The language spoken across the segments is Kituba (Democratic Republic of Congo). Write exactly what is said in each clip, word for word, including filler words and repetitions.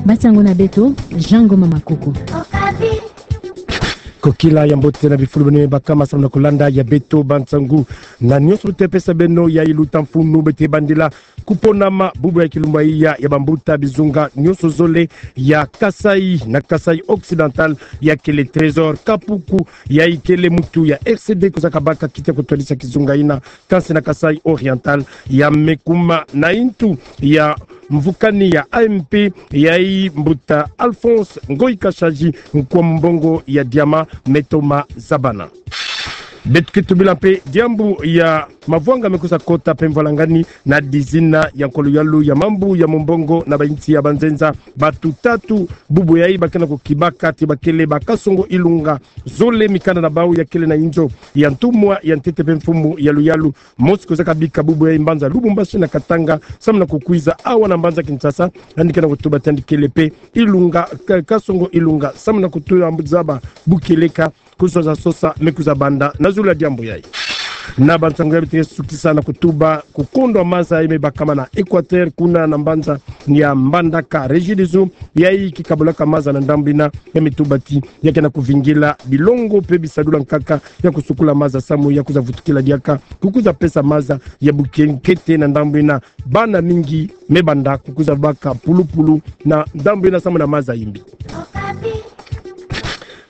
Bansangu na beto, Jean Ngoma Makoko. Kokila ya mbote na bifulu beno me baka samu na kolanda ya beto bansangu. Na nionso lutapesa beno ya iluta mfunu, beto ke bandila kuponama bubu ya kilumbu iya ya bambuta bizunga nionso zole ya Kasaï na Kasaï Occidental, ya kele Trésor Kapuku, yayi kele muntu ya R C D kozaka baka kiti ya kutwadisa kizunga ina, kansi na Kasaï Oriental, ya me kuma na ntu ya mvukani ya A M P, yayi mbuta Alphonse Ngoyi Kasanji, nkwa mbongo ya diama me toma zabana. Beto ke tubila mpe diambu ya mavwanga me kwiza kota mpe mvwalangani na dizina ya nkwa luyalu ya mambu ya mombongo na bainsi ya banzenza. Bato tatu bubu yayi bakena kukibaka ti bakele bakasongo ilunga zole, mikanda na bau ya kele na inzo ya ntumwa ya ntete mpe mfumu ya luyalu. Mosi kozaka bika bubu yayi mbanza Lubumbashi na Katanga, samu na kukwiza awa na mbanza Kinshasa, yandi kena kutuba ti yandi kele mpe ilunga, ka-, kasongo ilunga samu na kutula mbu zaba bu kieleka kusosa sosa me kwiza banda na zulu ya diambu yayi. Na bansangu yayi beto ke sukisa na kutuba kukondwa maza yayi me bakama na Equateur kuna na mbanza ya Mbandaka. Regideso, yayi ke kabulaka maza na ndambu ina, ya me tuba ti ya kena kuvingila bilongo mpe bisadula nkaka ya kusukula maza samu ya kwiza vutukila diaka, kukwiza pesa maza ya buke nkete na ndambu ina. Bana mingi me banda kukwiza baka pulupulu na ndambu ina samu na maza yimbi.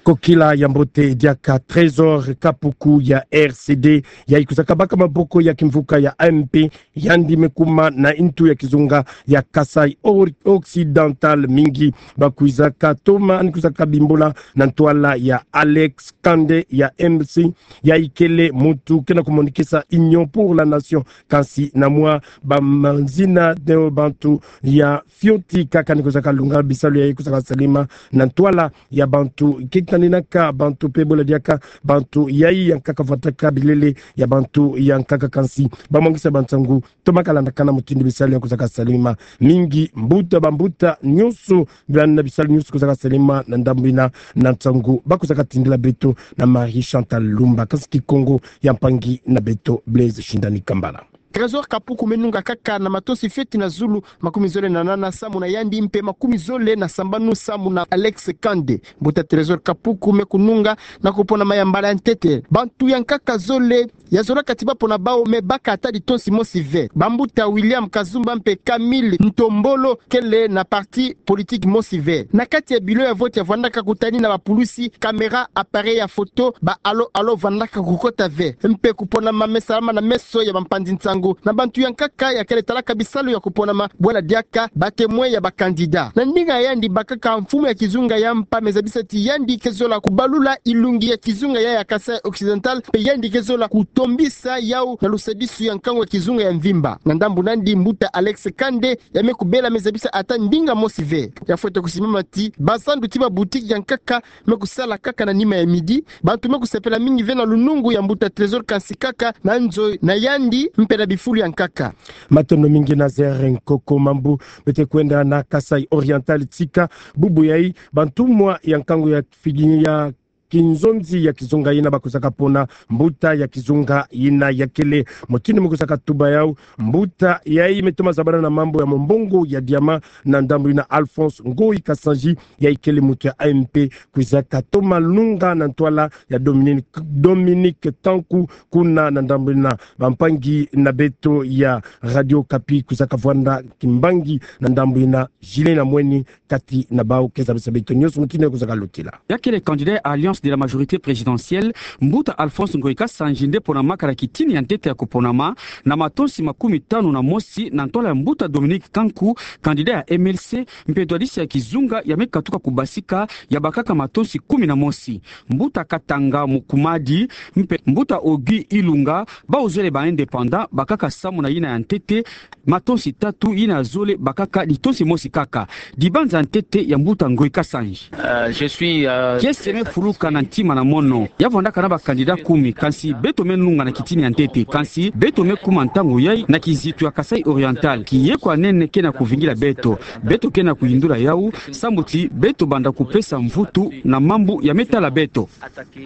Kokila ya mbote diaka Trésor Kapuku ya R C D, yayi kwizaka baka maboko ya kimvuka ya A M P, yandi me kuma na ntu ya kizunga ya Kasaï Or-, Occidental. Mingi bakwizaka toma, yandi kwizaka bimbula na ntwala ya Alex Kande ya M C, yayi kele muntu kena kumonikisa Union pour la Nation, kansi na mwa bamazina de bantu ya fioti kaka ni kwizaka lunga bisalu yayi kwizaka salama na ntwala ya bantu ke taninaka bantu mpe bola diaka bantu yayi ya nkaka vwataka bilele ya bantu ya nkaka, kansi bamwangisa bansangu toma kalandakana mutindu bisalu yayi kwizaka salama. Mingi mbuta, bambuta nionso, bana bisalu nionso kwizaka salama na ndambu ina na nsangu bakwizaka tindila beto na Marie Chantal Lumba, kansi Kikongo ya mpangi na beto Blaise Shindani Kambala. Trésor Kapuku me nunga kaka na matosi fioti na zulu, makumi zole na nana samu na yandi, mpe makumi zole na sambanu samu na Alex Kande. Mbuta Trésor Kapuku me kununga na kuponama ya mbala ya ntete. Bantu ya nkaka zole ya zolaka ti bapona bau me baka ata litonsi mosi ve. Bambuta William Kazumba mpe Camille Ntombolo kele na parti politique mosi ve. Na kati ya bureau ya vote ya vwandaka kutani na bapulusi, caméra, appareil ya photo, ba halo-halo vandaka kukota ve. Mpe kuponama me salama na meso ya bampanzi nsangu na bantu ya nkaka ya kele talaka bisalu ya kuponama, bwala diaka ba témoin ya ba candidat. Na ndinga ya yandi bakaka, mfumu ya kizunga ya mpa me zabisa ti yandi ke zola kubalula ilungi ya kizunga ya, ya Kasaï Occidental, mpe yandi ke zola kutombisa yau na lusadisu ya nkangu ya kizunga ya mvimba. Na ndambu na yandi, mbuta Alex Kande ya me kubela me zabisa ata ndinga mosi ve. Ya fwete kusimama ti bazandu ti baboutique ya nkaka me kusala kaka na nima ya midi, bantu me kusepela mingi ve na lunungu ya mbuta Trésor, kansi kaka na nzo na yandi mpe na bifulu ya nkaka. Matondo mingi Nazaire Nkoko Mambu. Beto ke kwenda na Kasaï Oriental tika. Bubu yayi bantumwa ya nkangu ya figi ya kinzonzi ya kizunga yina bakwizaka pona mbuta ya kizunga yina ya kele. Mutindu me kwizaka tuba yau, mbuta yayi me toma zabana na mambu ya mombongo ya diama na ndambu yina, Alphonse Ngoyi Kasanji, yayi kele muntu ya A M P, kwizaka toma nunga na ntwala ya Dominique, Dominique Kanku, kuna na ndambu yina. Bampangi na beto ya Radio Okapi kwizaka vwanda kimbangi na ndambu yina, Julien Namweni kati na bau ke zabisa beto nionso mutindu kwizaka lutila. Ya kele candidat ya Alliance de la Majorité Présidentielle, mbuta Alphonse Ngoyi Kasanji nde ponamaka na kitini ya ntete ya kuponama na matosi makumi tanu na mosi na ntwala ya mbuta Dominique Kanku, candidat ya M L C, mpe twadisi ya kizunga ya me katuka kubasika, ya bakaka matosi kumi na mosi. Mbuta Katanga Mukumadi mpe mbuta Ogi Ilunga, bau zole ba indépendant, bakaka samu na yina ya ntete, matosi tatu, yina ya zole bakaka litonsi mosi kaka. Dibanza ntete ya mbuta Ngoyi Kasanji. Euh, je suis, euh, kiese me fuluka na ntima na mono. Ya vwandaka na ba candidat kumi, kansi beto me nunga na kitini ya ntete, kansi beto me kuma ntangu yai na kizitu ya Kasaï Oriental. Kiye kwa nene ke na kuvingila beto. Beto ke na kuyindula yau, sambu ti beto banda kupesa mvutu na mambu ya me tala beto.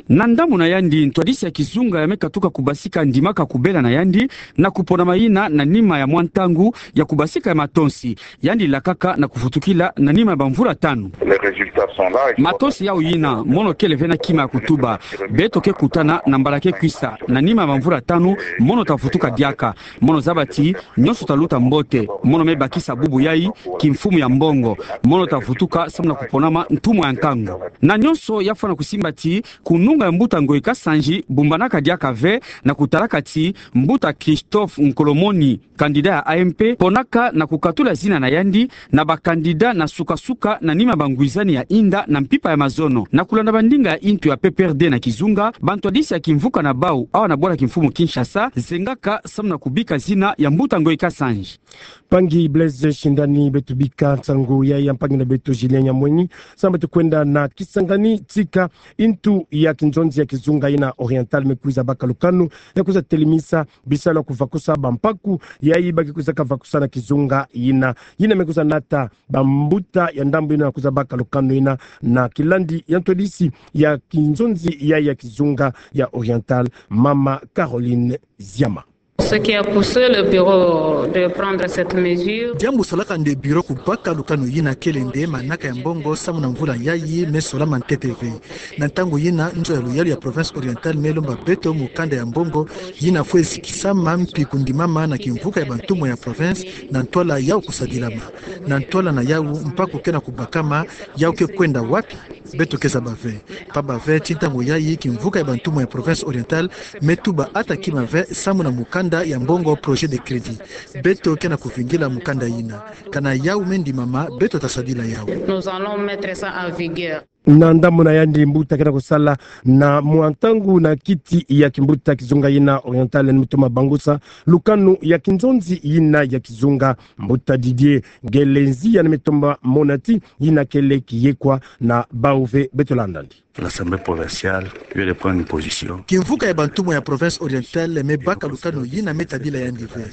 Na ndambu na yandi, ntwadisi ya kizunga ya me katuka kubasika ndimaka kubela na yandi, na kupona mayina na nima ya mwa ntangu ya kubasika ya matonsi. Yandi lakaka na kuvutukila na nima ya bamvula tanu. Les résultats sont là, il faut... Matonsi yau yina, mono kele ve na kima ya kutuba. Beto ke kutana na mbala ke kwisa, na nima ya bamvula tanu, mono ta vutuka diaka. Mono zaba ti, nyonso ta luta mbote, mono me bakisa bubu yai, kimfumu ya mbongo, mono ta vutuka samu na kuponama ntumwa ya nkangu. Na nyonso ya fwana kusimba ti, kununga ya mbuta Ngoyi Kasanji, bumbanaka diaka ve, na kutalaka ti, mbuta Christophe Nkolomoni, candidat ya A M P, ponaka na kukatula zina na yandi, na ba candidat na suka-suka na nima bangwizani ya inda na mpimpa ya mazono. Na kulanda bandinga ya intu ya P P R D na kizunga, bantwadisi ya kimvuka na bau, awa na bwala kimfumu Kinshasa, zengaka samu na kubika zina ya mbuta Ngoyi Kasanji. Mpangi Blaise Shindani, beto bika nsangu yai ya mpangi na beto Julien Nyamwenyi, samu beto kwenda na Kisangani, tika intu ya kinzonzi ya kizunga yina Oriental me kwiza baka lukanu ya kwiza telemisa bisalu ya kuvakusa bampaku yai ba ke kwizaka vakusa na kizunga yina. Yina me kwiza nata bambuta ya ndambu yina kwiza baka lukanu yina na kilandi ya ntwadisi ya kinzonzi yai ya kizunga ya Oriental, mama Caroline Ziama. Ce qui a poussé le bureau de prendre cette mesure. Diambu salaka nde bureau kubaka lukanu yina kele nde manaka ya mbongo samu na mvula yai me solama ntete ve. Na ntangu yina, nzo ya luyalu ya province Oriental me lomba beto mukanda ya mbongo yina fwe zikisama mpi kundimama na kimvuka ya bantumwa ya province na ntwala yau kusadilama. Na ntwala na yau mpaku ke na kubakama, yau ke kwenda wapi? Beto ke zaba ve. Mpamba ve ti ntangu yai kimvuka ya bantumwa ya province Oriental me tuba ata kima ve samu na mukanda ya mbongo projet de crédit. Beto ke na kuvingila mukanda yina. Kana yau me ndimama, beto ta sadila yau. Nous allons mettre ça en vigueur. Na ndambu na yandi, mbuta ke na kusala na mwa ntangu na kiti ya kimbuta kizunga yina Oriental, ni mutoma bangusa lukanu ya kinzonzi yina ya kizunga, mbuta Didier Ngelenzi, yandi me tomba mona ti yina kele kiyekwa na bau ve. Beto landa ndi. L'Assemblée provinciale vient de prendre une position. Kimvuka ya bantumwa ya province Oriental me baka lukanu yina me tadila yandi ve.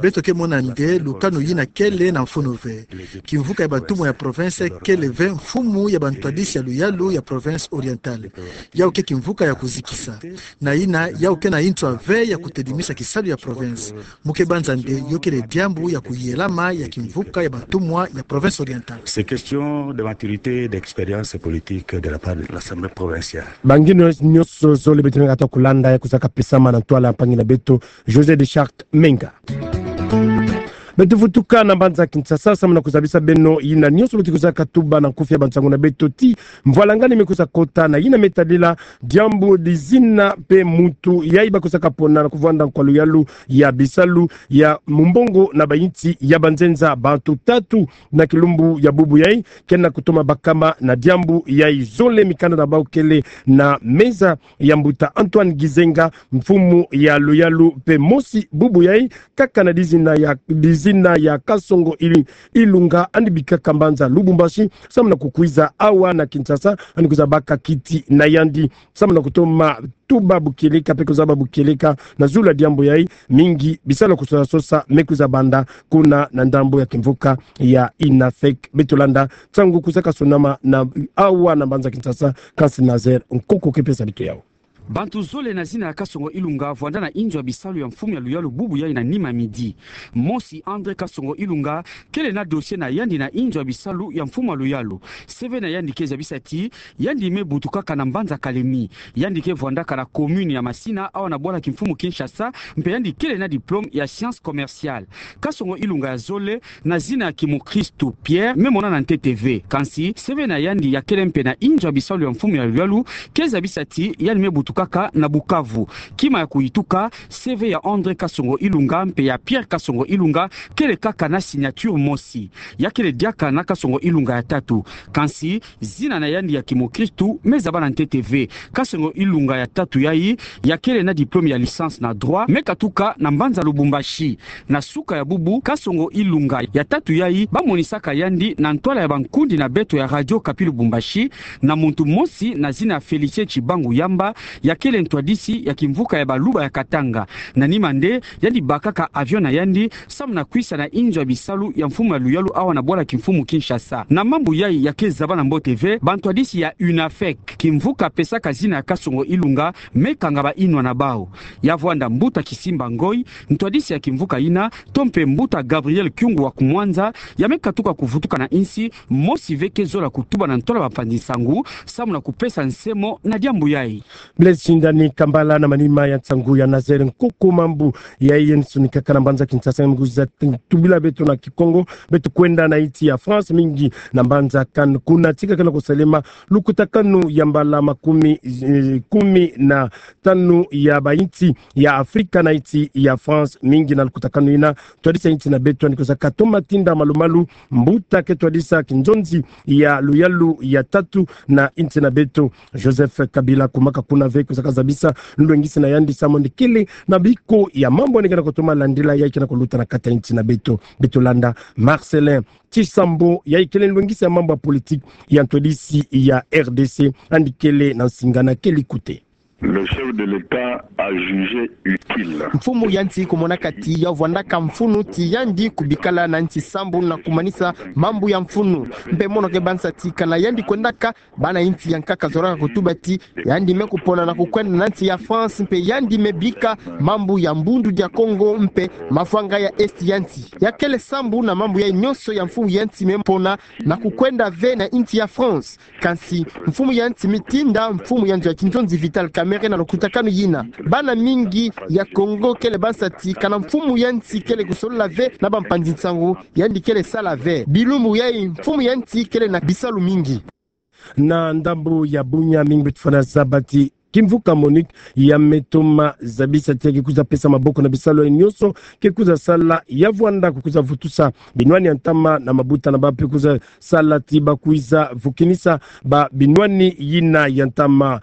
Beto ke mona nde lukanu yina kele na mfunu ve. Kimvuka ya bantumwa ya province kele ve mfumu ya bantwadisi ya luyalu ya province Oriental. Yau ke kimvuka ya kuzikisa. Na yina, yau ke na ntswa ve ya kutelimisa kisalu ya province. Mu ke banza nde yo kele diambu ya kuyelama ya kimvuka ya bantumwa ya province Oriental. C'est question de maturité et d'expérience politique de la part de l'Assemblée provinciale. Bangi nyonso zole beto me kata kulanda ya kuzaka pesama na ntwala mpangi na beto José de Charte Menga. Beto vutuka na mbanza Kinshasa samu na kuzabisa beno yina nyonso beto kuzaka tuba na nkufi ya bansangu na beto ti mvwalangani me kuza kota na yina me tadila diambu dizina mpe muntu yai ba kuzaka pona na kuvwanda nkwa luyalu ya bisalu ya mumbongo na bayinsi ya banzenza. Bantu tatu na kilumbu ya bubu yai ke na kutoma bakama na diambu yai. Zole mikanda na bau kele na meza ya mbuta Antoine Gizenga, mfumu ya luyalu mpe mosi bubu yai, kaka na dizina ya, dizina ya Kasongo Ili-, Ilunga, yandi bikaka mbanza Lubumbashi samu na kukwiza awa na Kinshasa, yandi kwiza baka kiti na yandi samu na kutoma tuba bukieleka mpe kuzaba bukieleka na zulu ya diambu yai. Mingi bisalu ya kusosa-sosa me kwiza banda kuna na ndambu ya kimvuka ya INAFEC. Beto landa nsangu kuzaka sonama na awa na mbanza Kinshasa, kansi Nazaire Nkoko ke pesa beto yau. Bantu zole na zina ya Kasongo Ilunga vwanda na inzo ya bisalu ya mfumu ya luyalu bubu yai na nima midi. Mosi, André Kasongo Ilunga, kele na dossier na yandi na inzo ya bisalu ya mfumu ya luyalu. C V na yandi ke zabisa ti yandi me butukaka na mbanza Kalemi. Yandi ke vwandaka na commune ya Masina, awa na bwala kimfumu Kinshasa, mpe yandi kele na diplôme ya sciences commerciales. Kasongo Ilunga ya zole, na zina ya kimukristu Pierre, me monana ntete ve. Kansi, C V na yandi ya kele mpe na inzo ya bisalu ya mfumu ya luyalu ke zabisa ti yandi me butukaka kaka na Bukavu. Kima ya kuyituka, C V ya André Kasongo Ilunga mpe ya Pierre Kasongo Ilunga kele kaka na signature mosi. Ya kele diaka na Kasongo Ilunga ya tatu. Kansi, zina na yandi ya kimokristu me zaba na ntete ve. Kasongo Ilunga ya tatu yayi, ya kele na diplôme ya licence na droit, me katuka na mbanza Lubumbashi. Na suka ya bubu, Kasongo Ilunga ya tatu yayi, ba monisaka yandi na ntwala ya bankundi na beto ya Radio Okapi Lubumbashi, na muntu mosi na zina ya Félicien Tshibangu Yamba, ya kele ntwadisi ya kimvuka ya Baluba ya Katanga. Na nima nde, yandi bakaka avion na yandi, samu na kwisa na inzo ya bisalu ya mfumu ya luyalu awa na bwala kimfumu Kinshasa. Na mambu yayi ya ke zaba na mbote ve, bantwadisi ya UNAFEC, kimvuka pesaka zina ya Kasongo Ilunga, me kanga ba inwa na bawu. Ya vwanda mbuta Kisimba Ngoy, ntwadisi ya kimvuka yina, to mpe mbuta Gabriel Kyungu wa ku Mwanza, ya me katuka kuvutuka na insi, mosi ve ke zola kutuba na ntwala bampanzi nsangu, samu na kupesa nsemo na diambu yayi. Blaise Shindani Kambala na manima ya nsangu ya Nazaire Nkoko. Mambu yayi ya sonikaka na mbanza Kinshasa, me kwiza tubila beto na Kikongo, beto kwenda na insi ya France, mingi na mbanza Cannes. Kuna tika kena kusalema lukutakanu ya mbala makumi, eh, kumi na tanu ya bainsi ya Afrika na insi ya France, mingi na lukutakanu yina, twadisa insi na beto, yandi kwiza katoma tinda malu-malu mbuta ke twadisa kinzonzi ya luyalu ya tatu na insi na beto, Joseph Kabila. Kumaka kuna ve, kwiza kazabisa nlwengisi na yandi samu yandi kele na biko ya mambu yandi kena kutoma landila yayi kena kuluta na kati ya insi na beto. Beto landa Marcellin Tshisambo, yayi kele nlwengisi ya mambu ya politique ya ntwadisi ya R D C, yandi kele na nsinga na kele kute. Le chef de l'État a jugé utile. Mfumu ya nsi kumonaka ti ya vwandaka mfunu ti yandi kubikala na nsi sambu na kumanisa mambu ya mfunu. Mpe mono ke bansa ti kana yandi kwendaka, bana insi ya nkaka zolaka kutuba ti yandi me kupona na kukwenda na nsi ya France, mpe yandi me bika mambu ya Bundu dia Kongo mpe mafwanga ya Est ya nsi. Ya kele sambu na mambu yayi nyonso ya mfumu ya nsi me pona na kukwenda ve na insi ya France. Kansi mfumu ya nsi me tinda mfumu ya nzo ya kinzonzi Vital Kamerhe na lukutakanu yina. Bana mingi ya Kongo kele bansa ti kana mfumu ya nsi kele kusolola ve na bampanzi nsangu, yandi kele sala ve. Bilumbu yayi mfumu ya nsi kele na bisalu mingi. Na ndambu ya bunya, mingi beto fwana zaba ti kimvuka MONUC ya me toma zabisa ti ke kwiza pesa maboko na bisalu yayi nyonso ke kwiza sala, ya vwanda kukwiza vutusa binwani ya ntama na mabuta na bawu, mpe kwiza sala ti ba kwiza vukinisa ba binwani yina ya ntama.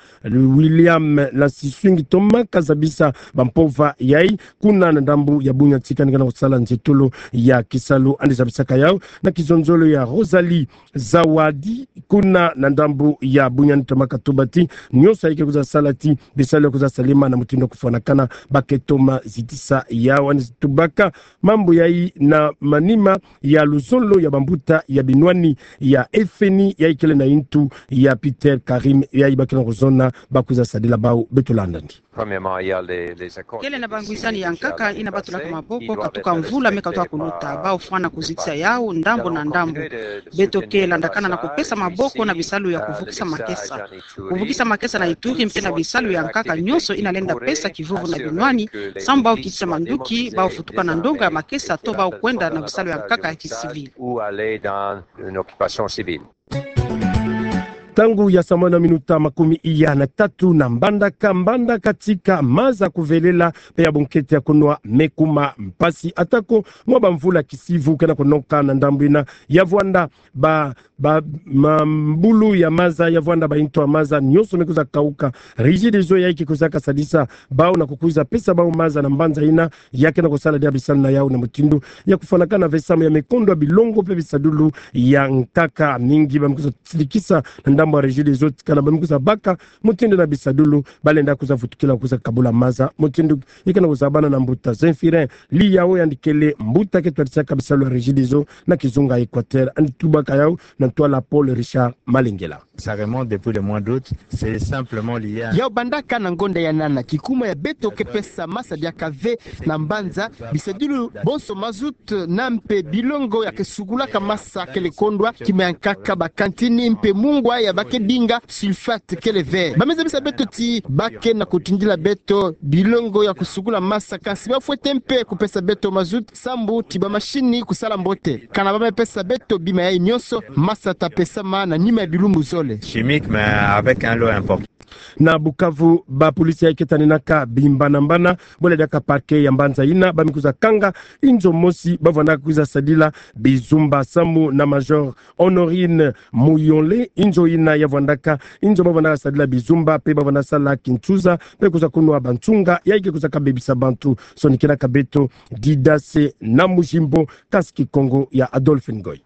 William Lansiswingi toma kazabisa bampova yayi kuna na ndambu ya bunya tika yandi kena kusala nzietolo ya kisalu, yandi zabisaka yawu na kizonzolo ya Rosalie Zawadi, kuna na ndambu ya bunya, yandi toma katuba ti nyonso yayi ke kwiza sala ti bisalu ya kwiza salema na mutindu ya kufwanakana, ba ke toma zitisa yawu. Yandi tubaka mambu yayi na manima ya luzolo ya bambuta ya binwani ya FMI yayi kele na intu ya Peter Karim, yayi ba kena kuzona ba kwiza sadila bawu. Beto landa yandi. Kele na bangwisani ya nkaka yina ba tulaka maboko katuka mvula me katuka kuluta. Ba fwana kuzitisa yawu ndambu na ndambu. Beto ke landakana na kupesa maboko na bisalu ya kuvukisa makesa. Kuvukisa makesa na Ituri mpe na bisalu ya nkaka nyonso yina lenda pesa kivuvu na binwani, sambu ba kitisa manduki, ba vutuka na ndonga ya makesa to ba kwenda na bisalu ya nkaka ya kisivili. Ntangu ya saa moja na minuta makumi iya na tatu na Mbandaka. Mbandaka tika maza kuvelela mpe ya bunkete ya kunwa me kuma mpasi, atako mwa bamvula kisivu kena kunoka na ndambu yina. Ya vwanda ba, ba, mambulu ya maza, ya vwanda ba intu ya maza nyonso me kwiza kauka. Regideso yayi ke kwiza kasadisa bawu na kukwiza pesa bawu maza na mbanza yina, ya kena kusala dia bisalu na yawu na mutindu ya kufwanakana ve samu ya mikondo ya bilongo mpe bisadulu ya nkaka. Mingi ba me kwiza silikisa na ndambu ya Regideso ti kana ba me kwiza baka mutindu na bisadulu ba lenda kwiza vutukila kwiza kabula maza. Mutindu ya kena kuzabana na mbuta Zemphirin Liyawo, yandi kele mbuta ke twadisaka bisalu ya Regideso na kizunga Equateur, yandi tubaka yawu na ntwala Paul Richard Malengela. Ça remonte depuis le mois d'août, c'est simplement lié à... Yawu bandaka na ngonda ya nana, kikuma ya beto ke pesa masa diaka ve na mbanza, bisadulu bonso mazout na mpe bilongo ya ke sukulaka masa kele kondwa, kima ya nkaka, ba kantini mpe mungwa ya ba ke dinga sulfate kele ve. Ba me zabisa beto ti ba ke na kutindila beto bilongo ya kusukula masa, kansi ba fwete mpe kupesa beto mazout sambu ti ba mashini kusala mbote. Kana ba me pesa beto bima yayi nyonso, masa ta pesama na nima ya bilumbu zole. chimique, mais avec un lot important. Na Bukavu, ba policiers yayi ke taninaka bimbana-mbana, bole diaka parquet ya mbanza yina, bamikuza kanga inzo mosi, bavwandaka kuiza sadila bizumba samu na Major Honorine Muyole, inzo yina ya vwandaka inzo bavwandaka sadila bizumba, pe bavwandaka sala kinsuza, pe kuiza kunwa bansunga yayi ke kuizaka bebisa bantu. Sonikiraka beto Didase na Mujimbo, kasi Kikongo ya Adolphe Ngoy.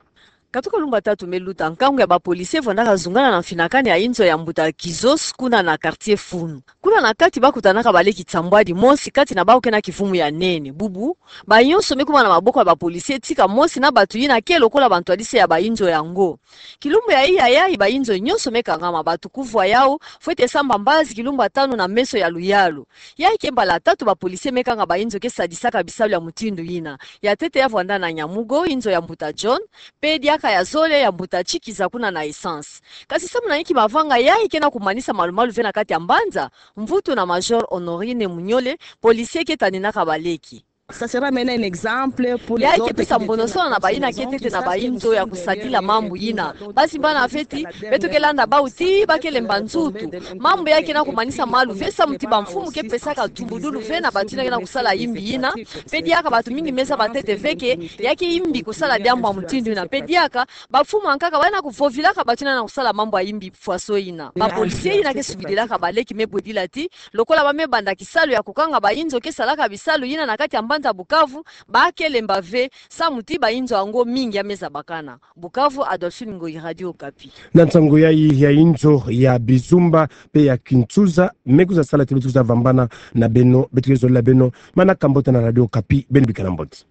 Katuka lumbu tatu me luta, nkangu ya ba policiers vwandaka zungana na mfinakani ya inzo ya mbuta Kizos kuna na quartier Funu. Kuna na kati bakutanaka baleki nsambwadi mosi kati na bawu ke na kivumu ya nene. Bubu, bayonso me kuma na maboko ya ba policiers, tika mosi na bantu yina ke lokola bantwadisi ya ba inzo yango. Kilumbu ya iya yayi ba inzo nyonso me kangama, bantu kuvwa yawu, fwete samba mbazi kilumbu tanu na meso ya luyalu. Yayi ke mbala tatu ba policiers me kanga ba inzo ke sadisaka bisalu ya mutindu yina. Ya ntete ya vwanda na Nyamugo, inzo ya mbuta John, pe diaka ya zole ya mbuta Chikiza kuna na Essence. Kasi samu na inki mavanga yayi ke na kumanisa malu-malu ve na kati ya mbanza? Mvutu na Major Honorine Muyole, policier ke taninaka baleki. Ça sera maintenant un exemple pour les autres. Yayi ke pesa mbonosona na bayina ke ntete na ba inzo ya kusadila mambu yina. Bazimbana ve ti beto ke landa bawu ti ba ke lemba nzutu. Mambu yayi ke na kumanisa malu ve samu ti bamfumu ke pesaka tubudulu ve na bantu yina ke na kusala yimbi yina. Pe diaka bantu mingi me zaba ntete ve ke yayi ke yimbi kusala diambu ya mutindu yina. Pe diaka bamfumu ankaka ba na kuvovilaka bantu yina na kusala mambu ya yimbi faso yina. Ba policiers yina ke sukidilaka baleki me bwedila ti lokola ba me banda kisalu ya kukanga ba inzo ke salaka bisalu yina na kati ya mbanza Bukavu, ba ke lemba ve samu ti ba inzo yango mingi ya me zabakana. Bukavu, Adolphine Ngoyi, Radio Okapi. Na nsangu yayi ya inzo ya bizumba pe ya kinsuza, me kuiza sala ti beto kuiza vambana na beno, beto ke zolila beno manaka mbote na Radio Okapi, beno bikana mbote.